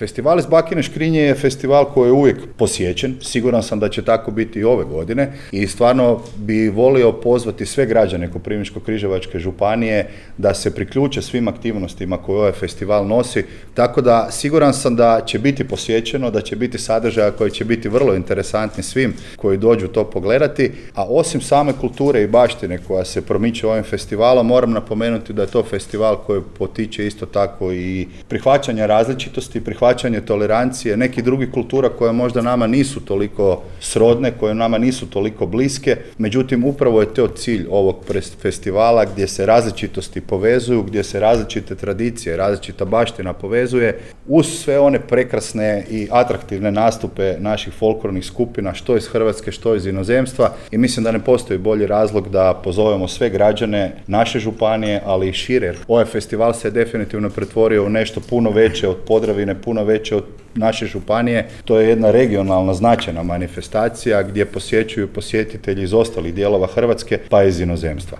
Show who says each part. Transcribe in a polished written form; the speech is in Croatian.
Speaker 1: Festival iz Bakine škrinje je festival koji je uvijek posjećen, siguran sam da će tako biti i ove godine i stvarno bi volio pozvati sve građane Koprivničko-križevačke županije da se priključe svim aktivnostima koje ovaj festival nosi, tako da siguran sam da će biti posjećeno, da će biti sadržaja koji će biti vrlo interesantni svim koji dođu to pogledati, a osim same kulture i baštine koja se promiče ovim festivalom, moram napomenuti da je to festival koji potiče isto tako i prihvaćanje različitosti, prihvaćanje tolerancije, nekih drugih kultura koje možda nama nisu toliko srodne, koje nama nisu toliko bliske, međutim upravo je to cilj ovog festivala gdje se različitosti povezuju, gdje se različite tradicije, različita baština povezuje uz sve one prekrasne i atraktivne nastupe naših folklornih skupina, što iz Hrvatske, što iz inozemstva i mislim da ne postoji bolji razlog da pozovemo sve građane naše županije, ali i šire. Ovaj festival se definitivno pretvorio u nešto puno veće od Podravine, puno veće od naše županije. To je jedna regionalna značajna manifestacija gdje posjećuju posjetitelji iz ostalih dijelova Hrvatske pa iz inozemstva.